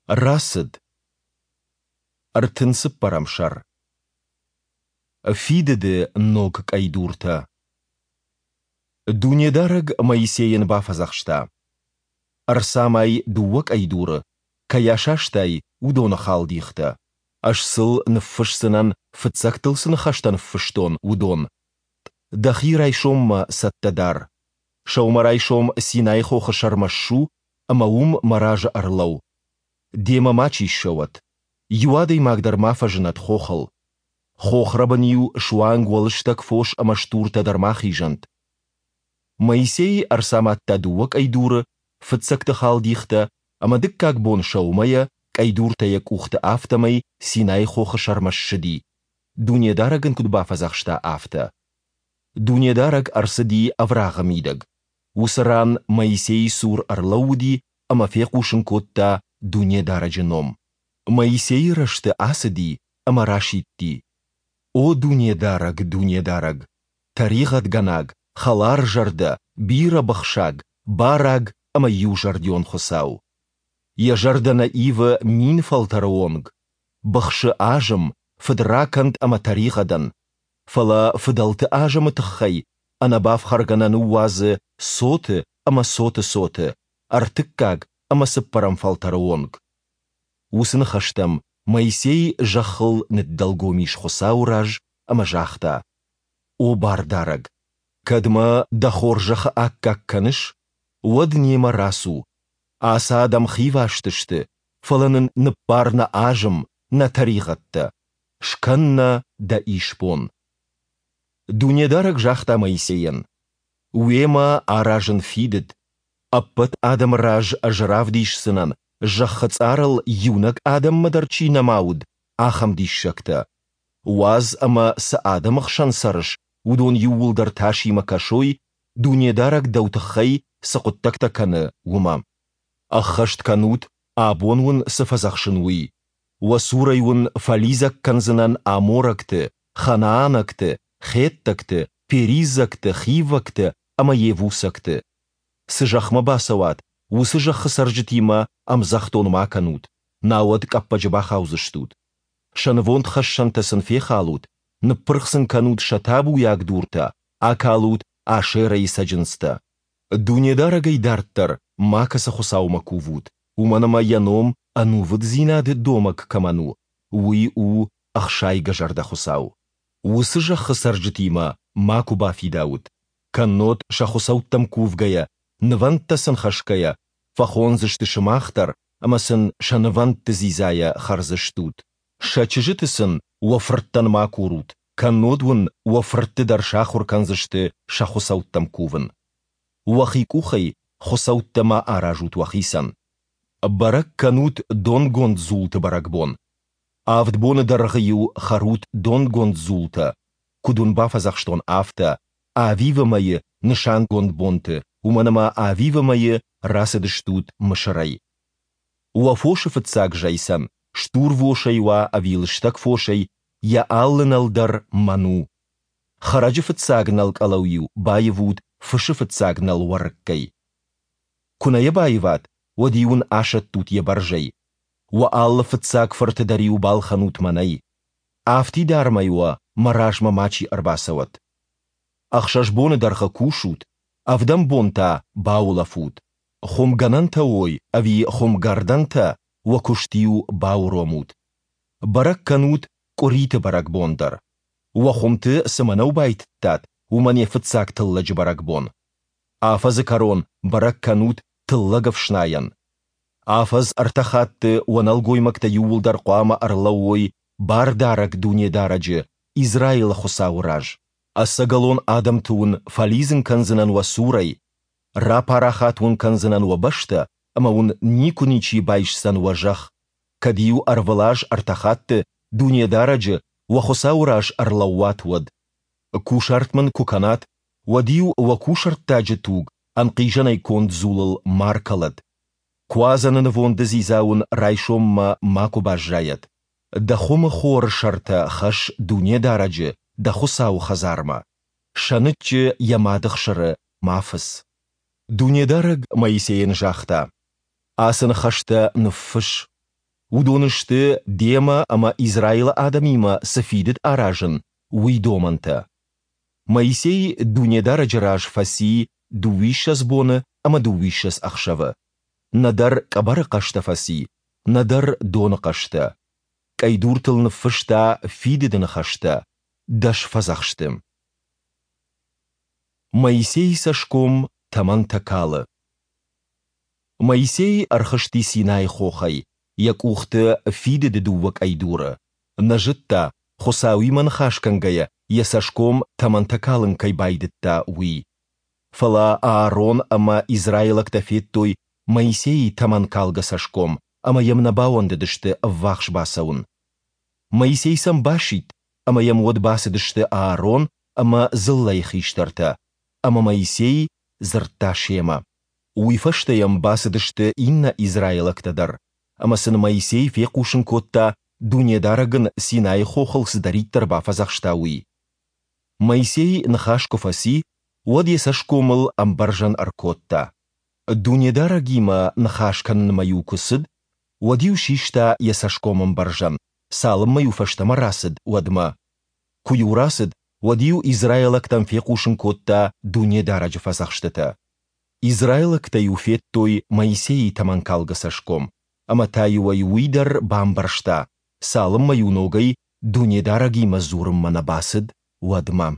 Рацыд. 34 сӕр. Фидыды ног къӕйдуртӕ. Дунедарӕг Моисейӕн бафӕдзӕхста: Ӕрцамай дыууӕ къӕйдуры, кӕй асастай, уыдоны халдихтӕ. Ӕз сыл ныффысдзынӕн, фыццӕгтыл цы ныхӕстӕ ныффыстон, уыдон. Дӕхи райсоммӕ цӕттӕ дар. Сӕумӕрайсом Синайы хохы сӕрмӕ ссу ӕмӕ уым мӕ разы ӕрлӕуу. Демӕ мачи ссӕуӕд. Иу адӕймаг дӕр ма фӕзынӕд хохыл. Хохрӕбын-иу суанг уӕ лыстӕг фос ӕмӕ стуртӕ дӕр ма хизӕнт. Моисей ӕрцамадта дыууӕ къӕйдуры, фыццӕгты халдихтӕ, ӕмӕ дыккаг бон сӕумӕйӕ, къӕйдуртӕ йӕ къухты, афтӕмӕй Синайы хохы сӕрмӕ ссыди, Дунедарӕг ын куыд бафӕдзӕхста, афтӕ. Дунедарӕг ӕрцыди ӕврагъы мидӕг. Уыцы ран Моисейы цур ӕрлӕууыди ӕмӕ фехъусын кодта Дунедарӕджы ном. Моисейы рӕзты ацыди ӕмӕ расидти: О Дунедарӕг, Дунедарӕг, тӕригъӕдгӕнаг, хӕларзӕрдӕ, бирӕбыхсаг, бараг ӕмӕ иузӕрдион Хуыцау! Йӕ зӕрдӕ нӕ ивы мин фӕлтӕры онг, быхсы азым, фыдракӕнд ӕмӕ тӕригъӕдӕн, фӕлӕ фыдӕлты азымы тыххӕй ӕнӕбафхӕргӕ нӕ ныууадзы цоты ӕмӕ цоты цоты, ӕртыккаг ӕмӕ цыппӕрӕм фӕлтӕры онг. Уыцы ныхӕстӕм Моисей зӕххыл ныддӕлгом ис Хуыцауы раз ӕмӕ загъта, О Бардарӕг, кӕд мӕ дӕ хорзӕхы аккаг кӕныс, уӕд немӕ рацу. Ацы адӕм хиваст сты, фӕлӕ нын ныббар нӕ азым, нӕ тӕригъӕдтӕ. Скӕн нӕ дӕ исбон. Дунедарӕг загъта Моисейӕн, Уемӕ аразын фидыд. Ӕппӕт адӕмы раз ӕз равдисдзынӕн, зӕххы цъарыл иунӕг адӕммӕ дӕр чи нӕма уыд, ахӕм диссӕгтӕ. Уадз ӕмӕ цы адӕмы хсӕн цӕрыс, уыдон иууылдӕр тасимӕ кӕсой, Дунедарӕг дӕу тыххӕй цы хъуыддӕгтӕ кӕны, уымӕ. Ӕххӕст кӕнут, абон уын цы фӕдзӕхсын, уый. Уӕ цурӕй уын фӕлидзӕг кӕндзынӕн аморӕгты, ханаанӕгты, хеттӕгты, периззӕгты, хиввӕгты ӕмӕ йевусӕгты. Цы зӕхмӕ бацӕуат, уыцы зӕххы цӕрджытимӕ ӕмдзӕхдон ма кӕнут, науӕд къӕппӕджы бахаудзыстут. Сӕ нывондхӕссӕнтӕ сын фехалут, ныппырх сын кӕнут сӕ табуйаг дуртӕ, акалут Ашерӕйы цӕджындзтӕ. Дунедарӕгӕй дарддӕр макӕцы хуыцаумӕ кувут, уымӕн ӕмӕ йӕ ном ӕнувыддзинады домӕг кӕмӕн у, уый у ӕхсайгӕзӕрдӕ Хуыцау. Уыцы зӕххы цӕрджытимӕ макуы бафидаут, кӕннод сӕ хуыцӕуттӕм кувгӕйӕ, нывӕндтӕ сын хӕсгӕйӕ, фӕхондзысты сымах дӕр ӕмӕ сын сӕ нывӕндты дзидзайӕ хӕрдзыстут. Сӕ чызджыты сын уӕ фырттӕн ма курут, кӕннод уын уӕ фыртты дӕр сахуыр кӕндзысты сӕ хуыцӕуттӕм кувын. Уӕхи къухӕй хуыцӕуттӕ ма аразут уӕхицӕн. Бӕрӕг кӕнут донгонд дзулты бӕрӕгбон. Авд боны дӕргъы-иу хӕрут донгонд дзултӕ, куыд уын бафӕдзӕхстон, афтӕ, Авивы мӕйы нысангонд бонты, уымӕн ӕмӕ Авивы мӕйы рацыдыстут Мысырӕй. Уӕ фосы фыццаг зӕйцӕн, стурвосӕй уа ӕви лыстӕг фосӕй, йӕ алы нӕл дӕр мӕн у. Хӕрӕджы фыццаг нӕл къӕлӕу-иу баивут фысы фыццаг нӕл уӕрыккӕй. Куы нӕ йӕ баиват, уӕд-иу ын асӕттут йӕ бӕрзӕй. Уӕ алы фыццаг фырты дӕр-иу балхӕнут мӕнӕй. Афтидармӕй уӕ мӕ размӕ мачи ӕрбацӕуӕд. Ӕхсӕз боны дӕргъы кусут, ӕвдӕм бон та баулӕфут. Хуымгӕнӕнтӕ уой ӕви хуымгӕрдӕнтӕ, уӕ куыст-иу бауромут. Бӕрӕг кӕнут къуыриты бӕрӕгбон дӕр. Уӕ хуымты цы мӕнӕу байтыдтат, уымӕн йӕ фыццаг тыллӕджы бӕрӕгбон. Афӕдзы кӕрон бӕрӕг кӕнут тыллӕгӕфснайӕн. Афӕдз ӕртӕ хатты уӕ нӕлгоймӕгтӕ иууылдӕр хъуамӕ ӕрлӕууой Бардарӕг Дунедарӕджы, Израилы Хуыцауы раз. Ӕцӕгӕлон адӕмты уын фӕлидзын кӕндзынӕн уӕ цурӕй, рапарахат уын кӕндзынӕн уӕ бӕстӕ, ӕмӕ уын никуы ничи байсдзӕн уӕ зӕхх, кӕд-иу ӕрвылаз ӕртӕ хатты Дунедарӕджы, уӕ Хуыцауы раз ӕрлӕууат, уӕд. Кусарт мын куы кӕнат, уӕд-иу уӕ кусӕрттаджы туг ӕнхъизӕнӕй конд дзулыл ма ркӕлӕд. Куадзӕны нывонды дзидза уын райсоммӕ макуы баззайӕд. Дӕ хуымы хоры сӕртӕ хӕсс Дунедарӕджы, дӕ Хуыцауы хӕдзармӕ. Сӕныччы йӕ мады хсыры ма фыц. Дунедарӕг Моисейӕн загъта, Ацы ныхӕстӕ ныффысс. Уыдон сты, демӕ ӕмӕ Израилы адӕмимӕ цы фидыд аразын, уый домӕнтӕ. Моисей Дунедарӕджы раз фӕци дыууиссӕдз боны ӕмӕ дыууиссӕдз ӕхсӕвы. Нӕдӕр къӕбӕры хъӕстӕ фӕци, нӕдӕр доны хъӕстӕ. Къӕйдуртыл ныффыста фидыды ныхӕстӕ, дӕс фӕдзӕхсты. Моисейы цӕсгом тӕмӕнтӕ калы. Моисей ӕрхызти Синайы хохӕй, йӕ къухты фидыды дыууӕ къӕйдуры. Нӕ зыдта, Хуыцауимӕ ныхас кӕнгӕйӕ йӕ цӕсгом тӕмӕнтӕ калын кӕй байдыдта, уый. Фӕлӕ Аарон ӕмӕ израилӕгтӕ федтой Моисейы тӕмӕнкалгӕ цӕсгом ӕмӕ йӕм нӕ бауӕндыдысты ӕввахс бацӕуын. Моисей сӕм басидт, ӕмӕ йӕм уӕд бацыдысты Аарон ӕмӕ дзыллӕйы хистӕртӕ, ӕмӕ Моисей дзырдта семӕ. Уый фӕстӕ йӕм бацыдысты иннӕ израилӕгтӕ дӕр, ӕмӕ сын Моисей фехъусын кодта, Дунедарӕг ын Синайы хохыл цыдӕриддӕр бафӕдзӕхста, уый. Моисей ныхас куы фӕци, уӕд йӕ цӕсгомыл ӕмбӕрзӕн ӕркодта. Дунедарӕгимӕ ныхас кӕнынмӕ-иу куы цыд, уӕд-иу систа йӕ цӕсгомӕмбӕрзӕн, цалынмӕ-иу фӕстӕмӕ рацыд, уӕдмӕ. Куы-иу рацыд, уӕд-иу израилӕгтӕн фехъусын кодта Дунедарӕджы фӕдзӕхстытӕ. Израилӕгтӕ-иу федтой Моисейы тӕмӕнкалгӕ цӕсгом, ӕмӕ та-иу ӕй уый дӕр бамбӕрста, цалынмӕ-иу ногӕй Дунедарӕгимӕ дзурынмӕ нӕ бацыд, уӕдмӕ.